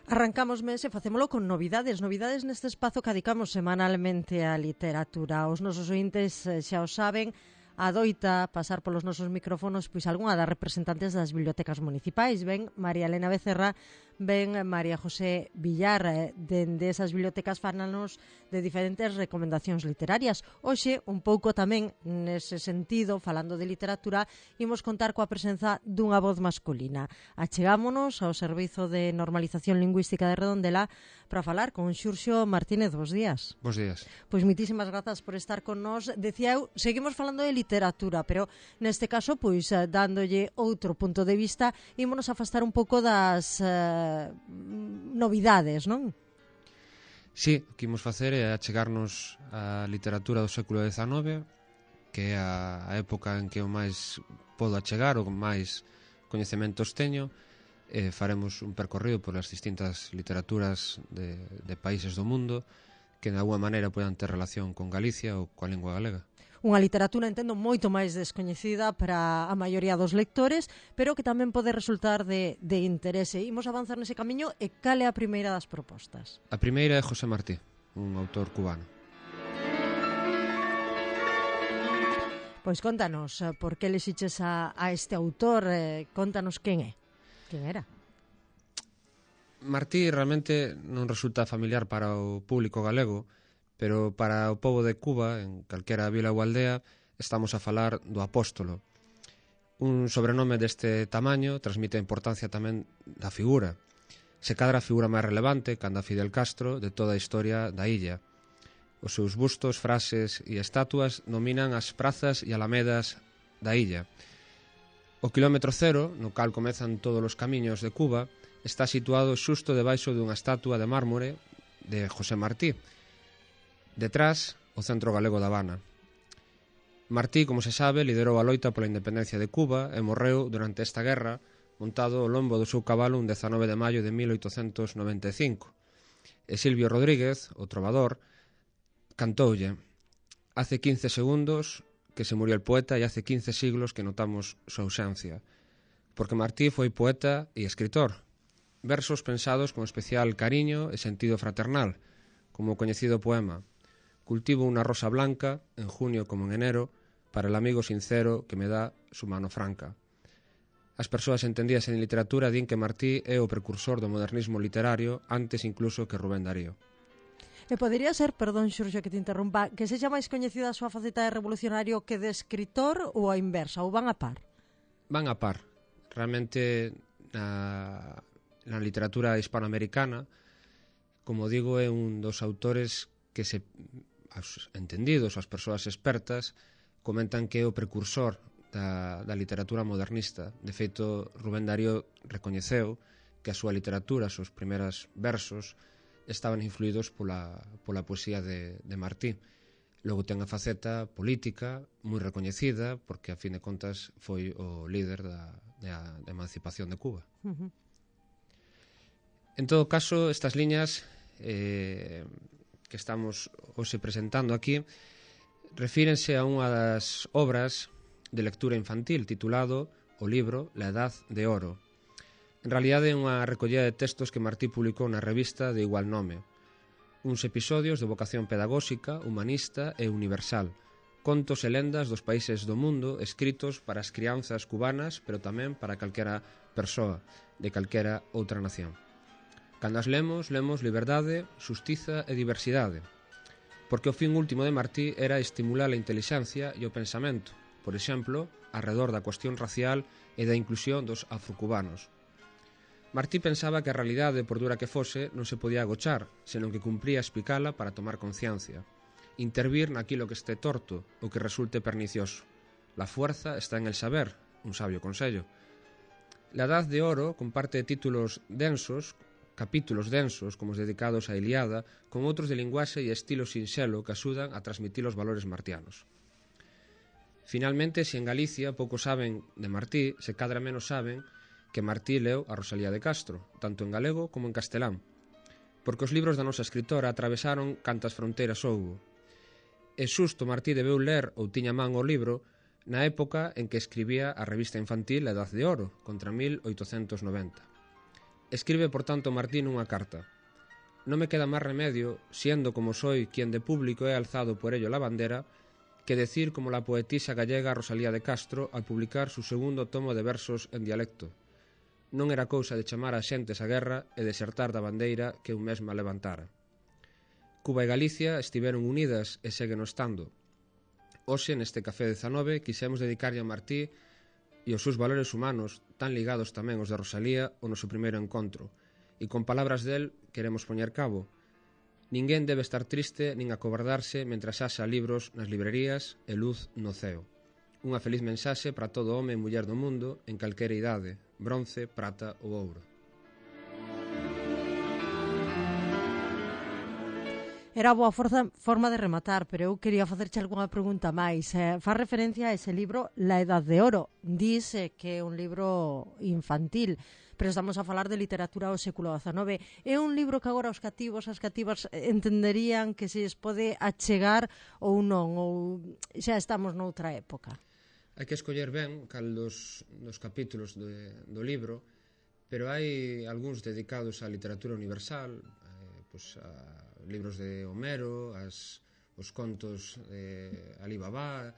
Arrancamos mes e facémolo con novidades neste espazo que dedicamos semanalmente á literatura. Os nosos ointes xa o saben, adoita pasar polos nosos micrófonos pois algunha das representantes das bibliotecas municipais. Ben María Elena Becerra, ben María José Villar, dende esas bibliotecas fánanos de diferentes recomendacións literarias. Hoxe, un pouco tamén nese sentido, falando de literatura, imos contar coa presenza dunha voz masculina. Achegámonos ao Servizo de Normalización Lingüística de Redondela para falar con Xurxo Martínez. Bos días. Bos días. Pois moitísimas grazas por estar con nós. Decía eu, seguimos falando de literatura, pero neste caso, pois, dándolle outro punto de vista, ímonos afastar un pouco das novidades, non? Sí, o que imos facer é achegarnos á literatura do século XIX, que é a época en que o máis podo achegar, o máis coñecementos teño, e faremos un percorrido por as distintas literaturas de países do mundo que de alguma maneira podan ter relación con Galicia ou coa lingua galega. Unha literatura, entendo, moito máis descoñecida para a maioría dos lectores, pero que tamén pode resultar de interese. Imos avanzar nese camiño e cal é a primeira das propostas? A primeira é José Martí, un autor cubano. Pois contanos, por que lexiches a este autor, contanos quen é, quen era. Martí realmente non resulta familiar para o público galego, pero para o pobo de Cuba, en calquera vila ou aldea, estamos a falar do Apóstolo. Un sobrenome deste tamaño transmite a importancia tamén da figura. Se cadra a figura máis relevante, canda Fidel Castro, de toda a historia da illa. Os seus bustos, frases e estatuas dominan as prazas e alamedas da illa. O quilómetro cero, no cal comezan todos os camiños de Cuba, está situado xusto debaixo dunha estatua de mármore de José Martí. Detrás, o Centro Galego da Habana. Martí, como se sabe, liderou a loita pola independencia de Cuba e morreu durante esta guerra montado ao lombo do seu cabalo un 19 de maio de 1895. E Silvio Rodríguez, o trovador, cantoulle: «Hace 15 segundos que se murió el poeta e hace 15 siglos que notamos su ausencia». Porque Martí foi poeta e escritor. Versos pensados con especial cariño e sentido fraternal, como o coñecido poema: «Cultivo una rosa blanca, en junio como en enero, para el amigo sincero que me da su mano franca». As persoas entendidas en literatura din que Martí é o precursor do modernismo literario antes incluso que Rubén Darío. E podería ser, perdón, Xurxo, que te interrompa, que sexa máis coñecida a súa faceta de revolucionario que de escritor ou a inversa, ou van a par? Van a par. Realmente na literatura hispanoamericana, como digo, é un dos autores que os entendidos, as persoas expertas, comentan que é o precursor da literatura modernista. De feito, Rubén Darío recoñeceu que a súa literatura, os seus primeiros versos, estaban influídos pola poesía de Martí. Logo ten a faceta política moi recoñecida, porque a fin de contas foi o líder da emancipación de Cuba. En todo caso, estas liñas que estamos hoxe presentando aquí refírense a unha das obras de lectura infantil titulado o libro La Edad de Oro. En realidade é unha recollida de textos que Martí publicou na revista de igual nome. Uns episodios de vocación pedagóxica, humanista e universal. Contos e lendas dos países do mundo escritos para as crianzas cubanas, pero tamén para calquera persoa de calquera outra nación. Cando as lemos liberdade, xustiza e diversidade. Porque o fin último de Martí era estimular a intelixencia e o pensamento, por exemplo, arredor da cuestión racial e da inclusión dos afrocubanos. Martí pensaba que a realidade, por dura que fose, non se podía agochar, senón que cumpría explicala para tomar conciencia. Intervir naquilo que este torto, o que resulte pernicioso. La fuerza está en el saber, un sabio consello. La Edad de Oro comparte títulos densos, capítulos densos, como os dedicados á Ilíada, con outros de linguaxe e estilo sinxelo que axudan a transmitir os valores martianos. Finalmente, se en Galicia pouco saben de Martí, se cadra menos saben que Martí leu a Rosalía de Castro, tanto en galego como en castelán, porque os libros da nosa escritora atravesaron cantas fronteiras houbo. E xusto Martí debeu ler ou tiña man o libro na época en que escribía a revista infantil La Edad de Oro, contra 1890. Escribe, por tanto, Martín unha carta. Non me queda máis remedio, siendo como soy quien de público he alzado por ello la bandera, que decir como la poetisa gallega Rosalía de Castro al publicar su segundo tomo de versos en dialecto. Non era cousa de chamar a xentes á guerra e desertar da bandeira que eu mesma levantara. Cuba e Galicia estiveron unidas e seguen estando. Hoxe, neste Café 19, quixemos dedicarlle a Martí e os seus valores humanos, tan ligados tamén aos de Rosalía, o noso primeiro encontro. E con palabras del queremos poñer cabo. Ninguén debe estar triste nin acobardarse mentras haxa libros nas librerías e luz no ceo. Unha feliz mensaxe para todo home e muller do mundo en calquera idade, bronce, prata ou ouro. Era boa forma de rematar, pero eu quería facerche algunha pregunta máis. Faz referencia a ese libro La Edad de Oro. Dice que é un libro infantil, pero estamos a falar de literatura do século XIX. É un libro que agora os cativos, as cativas entenderían que se lles pode achegar ou non, ou xa estamos noutra época. Hai que escoller ben cal dos capítulos do libro, pero hai algúns dedicados á literatura universal, a libros de Homero, os contos de Alí Babá,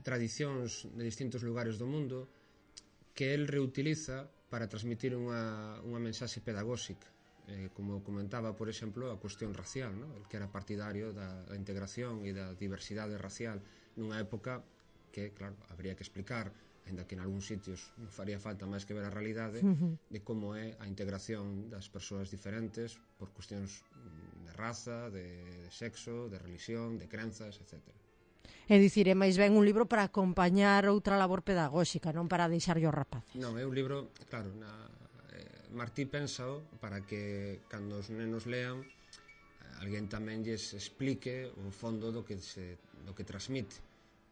tradicións de distintos lugares do mundo que el reutiliza para transmitir unha mensaxe pedagóxica, como comentaba, por exemplo, a cuestión racial, ¿no? El que era partidario da integración e da diversidade racial nunha época que, claro, habría que explicar, ainda que en algúns sitios non faría falta máis que ver a realidade, de como é a integración das persoas diferentes por cuestións de raza, de sexo, de religión, de crenzas, etc. É dicir, é máis ben un libro para acompañar outra labor pedagóxica, non para deixarlle os rapaces. Non, é un libro, claro, Martí pénsao para que cando os nenos lean alguén tamén lles explique o fondo do que transmite.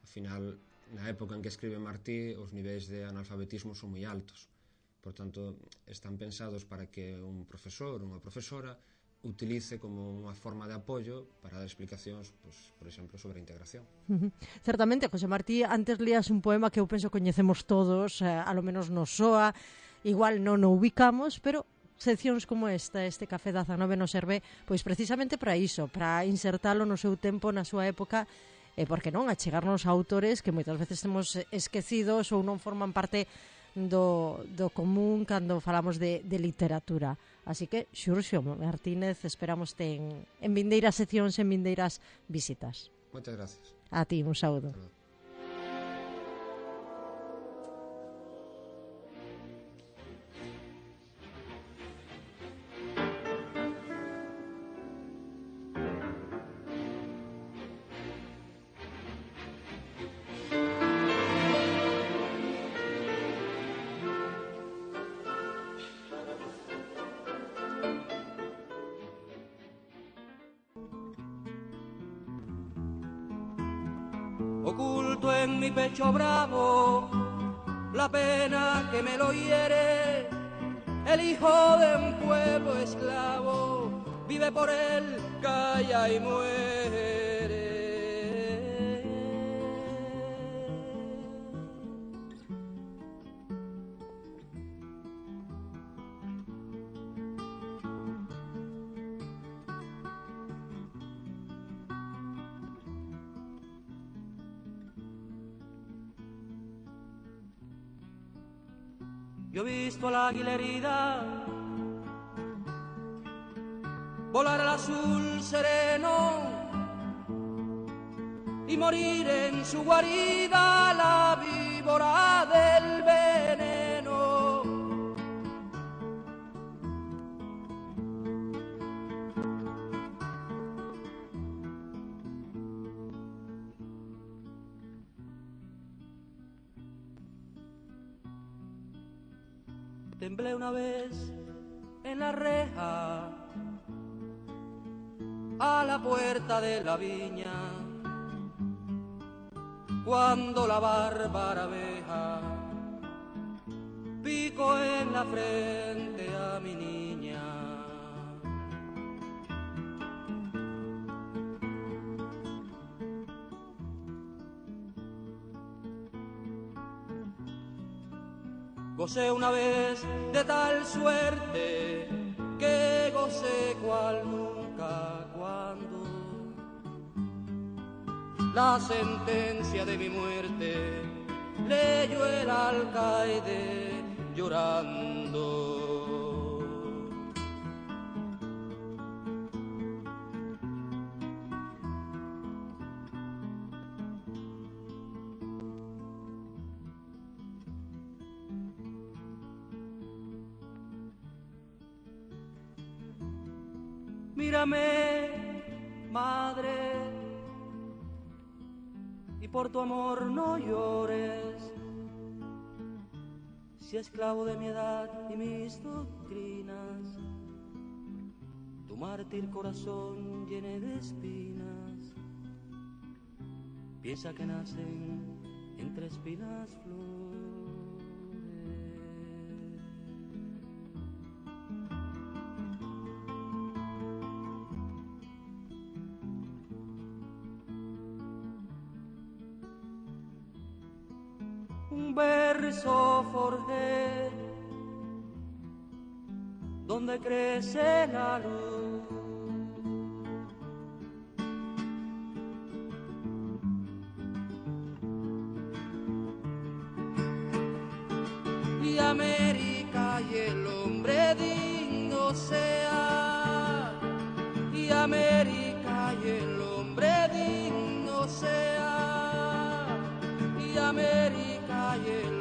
Ao final, na época en que escribe Martí, os niveis de analfabetismo son moi altos. Por tanto, están pensados para que un profesor ou unha profesora utilice como unha forma de apoio para dar explicacións, por exemplo, sobre a integración. Certamente, José Martí, antes lías un poema que eu penso coñecemos todos, a lo menos nos soa, igual non o ubicamos, pero seccións como este Café 19 nos serve pois precisamente para iso, para insertalo no seu tempo, na súa época, e porque non, achegarnos a autores que moitas veces temos esquecidos ou non forman parte do común cando falamos de literatura. Así que, Xurxo Martínez, esperamos en vindeiras seccións, en vindeiras visitas. Moitas gracias. A ti, un saúdo. Oculto en mi pecho bravo la pena que me lo hiere, el hijo de un pueblo esclavo vive por él, calla y muere. Yo he visto a la águila herida volar al azul sereno y morir en su guarida la víbora del veneno. Temblé una vez en la reja a la puerta de la viña, cuando la bárbara abeja picó en la frente a mi niña. Gocé una vez de tal suerte que gocé cual nunca cuando la sentencia de mi muerte leyó el alcaide llorando. Mírame, madre, y por tu amor no llores. Si esclavo de mi edad y mis doctrinas, tu mártir corazón llene de espinas, piensa que nacen entre espinas flores. Un verso forjé donde crece la luz, y América y el hombre digno sea, y América y el hombre digno sea, y América y el